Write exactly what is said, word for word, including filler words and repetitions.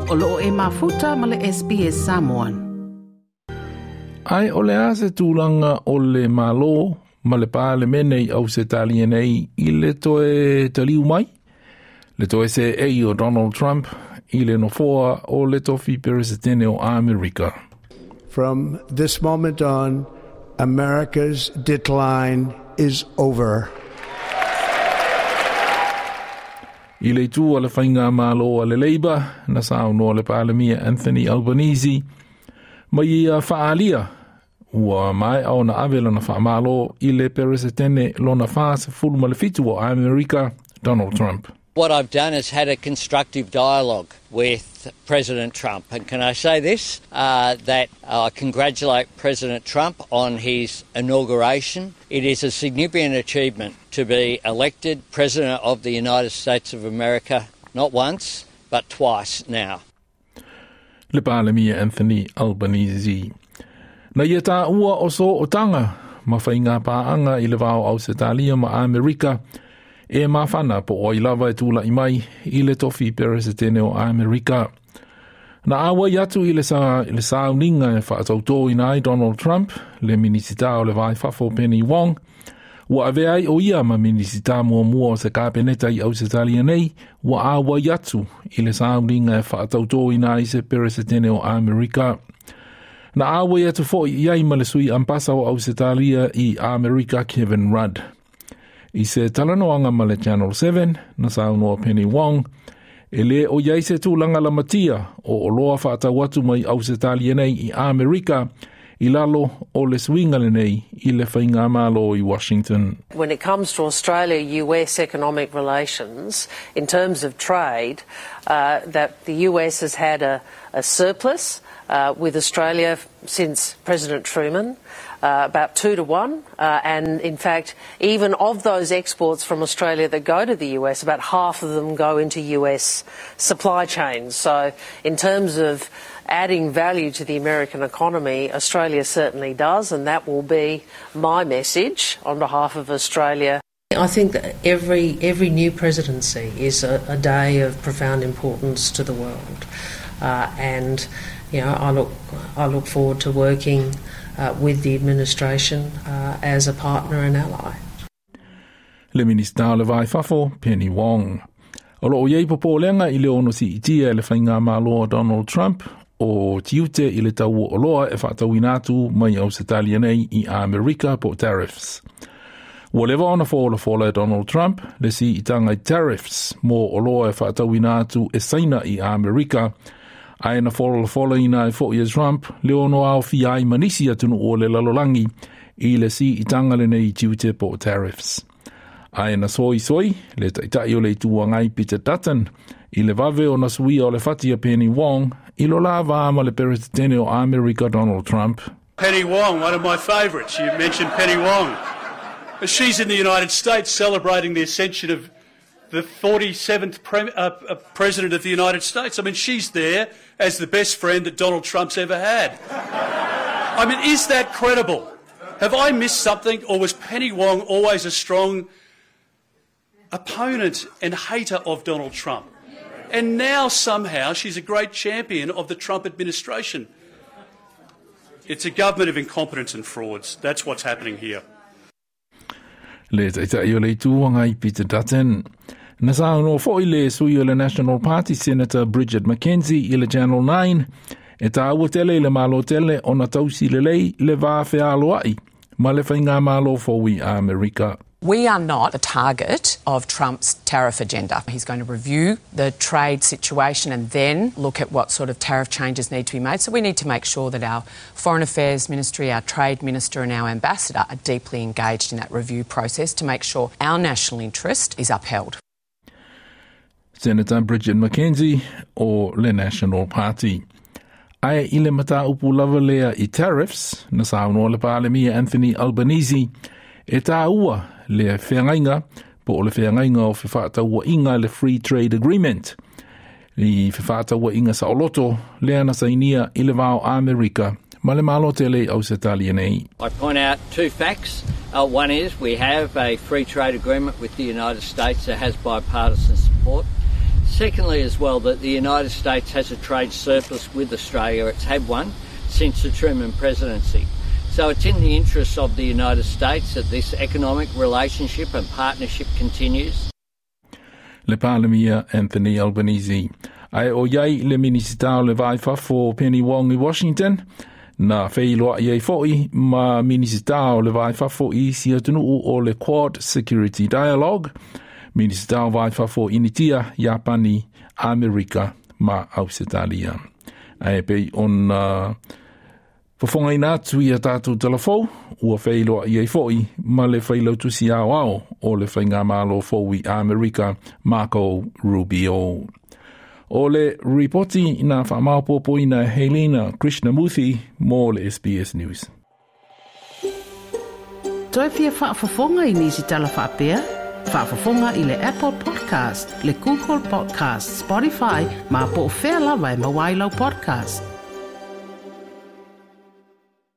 O loo e mafuta ma le S B S Samoan. Ai o le ase tūlanga o le malo ma le pālemene i Ausetalia nei i le toe taliu mai le toe se ei o Donald Trump i le nofoa o le tofi peresetene o Amerika. From this moment on, America's decline is over. I le itu a le whainga malo a le Labour, na saunoa le Palemia Anthony Albanese, mai ia whaalia, ua mai au na ave lona whaamalo i le peresetene lona wha ma le fitu o Amerika, Donald Trump. What I've done is had a constructive dialogue with President Trump. And can I say this? Uh, that I congratulate President Trump on his inauguration. It is a significant achievement to be elected President of the United States of America, not once, but twice now. Le Palemia Anthony Albanese. Na ia tā ua o so o tanga, ma whainga pāanga i le vao Ausetalia ma Amerika, e mawhana po oi lava e tūla i mai i le tofi peresetene o Amerika. Na awa i atu i le, sa, i le sauninga e whaatautō ina ai Donald Trump, le minisita o le vai fafo Penny Wong, ua ave ai o ia ma minisita mua mua o se kapeneta i Ausetalia nei, ua awa i atu i le sauninga e whaatautō ina ai se peresetene o Amerika. Na awa i atu fo i ai ma le sui ampasa o Ausetalia i Amerika Kevin Rudd. I se talanoanga ma le Channel seven, na saunoa Penny Wong, e le o iai se tūlanga la matia o oloa whaatau atu mai Ausetalia nei i Amerika i lalo o le suinga le nei i le whainga malo i Washington. When it comes to Australia-U S economic relations, in terms of trade, uh, that the U S has had a, a surplus uh, with Australia since President Truman, uh, about two to one. Uh, and in fact, even of those exports from Australia that go to the U S, about half of them go into U S supply chains. So in terms of adding value to the American economy, Australia certainly does, and that will be my message on behalf of Australia. I think that every, every new presidency is a, a day of profound importance to the world. Uh, and you know, I look, I look forward to working uh, with the administration uh, as a partner and ally. Le Minista o le Vai Fafo, Penny Wong. O loo iei popolenga i le ono si itia le whainga malo Donald Trump o tiute i le tau o loa e whaatauina atu mai Ausetalia nei i Amerika po tariffs. Ua leva ona fōla fōla e Donald Trump le si itanga i tariffs mo o loa e whaatauina atu e saina i Amerika, ai na fōla fōla ina e fo i Trump le ono au fi ai manisi atunu o le lalolangi i le si itanga le nei tiute po tariffs. Ai na soi soi le taitai o le itua ngai Peter Dutton i le vave o na suia o le fatia Penny Wong i lo la ma le peresetene o Amerika Donald Trump. Penny Wong, one of my favourites. You mentioned Penny Wong. She's in the United States celebrating the ascension of the forty-seventh pre- uh, uh, President of the United States. I mean, she's there as the best friend that Donald Trump's ever had. I mean, is that credible? Have I missed something, or was Penny Wong always a strong opponent and hater of Donald Trump? And now somehow she's a great champion of the Trump administration. It's a government of incompetence and frauds. That's what's happening here. Le taitai o le itu ngai Peter Dutton. Na saunoa foi le sui o le National Party Senator Bridget McKenzie i le Channel nine e tāua tele i le malo tele o na tausi le lei le vā whealoai ma le whainga malo fōwi Amerika. We are not the target of Trump's tariff agenda. He's going to review the trade situation and then look at what sort of tariff changes need to be made. So we need to make sure that our Foreign Affairs Ministry, our Trade Minister and our Ambassador are deeply engaged in that review process to make sure our national interest is upheld. Senator Bridget McKenzie o le National Party. Ai i le mata upu lava lea i tariffs, na saunoa le Palemia Anthony Albanese, e tā ua le wheangainga, po o le wheangainga o whawhātaua inga le Free Trade Agreement. I whawhātaua inga sa oloto, lea na sainia i le vao Amerika, ma le malo tele Ausetalia nei. I point out two facts. Uh, one is we have a free trade agreement with the United States that has bipartisan support. Secondly, as well, that the United States has a trade surplus with Australia. It's had one since the Truman presidency. So it's in the interests of the United States that this economic relationship and partnership continues. Le Palemia Anthony Albanese. Ae o iai le Minisita o le Va i Fafo Penny Wong i Washington, na feiloai ai fo'i ma Minisita o le Va i Fafo i isi atunuu o le Quad Security Dialogue, Minisita o Va i Fafo Initia, Iapani, Amerika ma Ausetalia. Ae pei ona fofogaina atu i a tātou talafou, ua feiloai ai fo'i ma le failautusi aoao o le Faigamalo fou i Amerika Marco Rubio. O le ripoti na whaamaopopoina Helena Krishnamurthy mo le S B S News. Toe fia faafofoga i nisi tala faapea? Faafofoga i le Apple Podcast, le Google Podcast, Spotify, ma po o fea lava e maua ai lau podcast.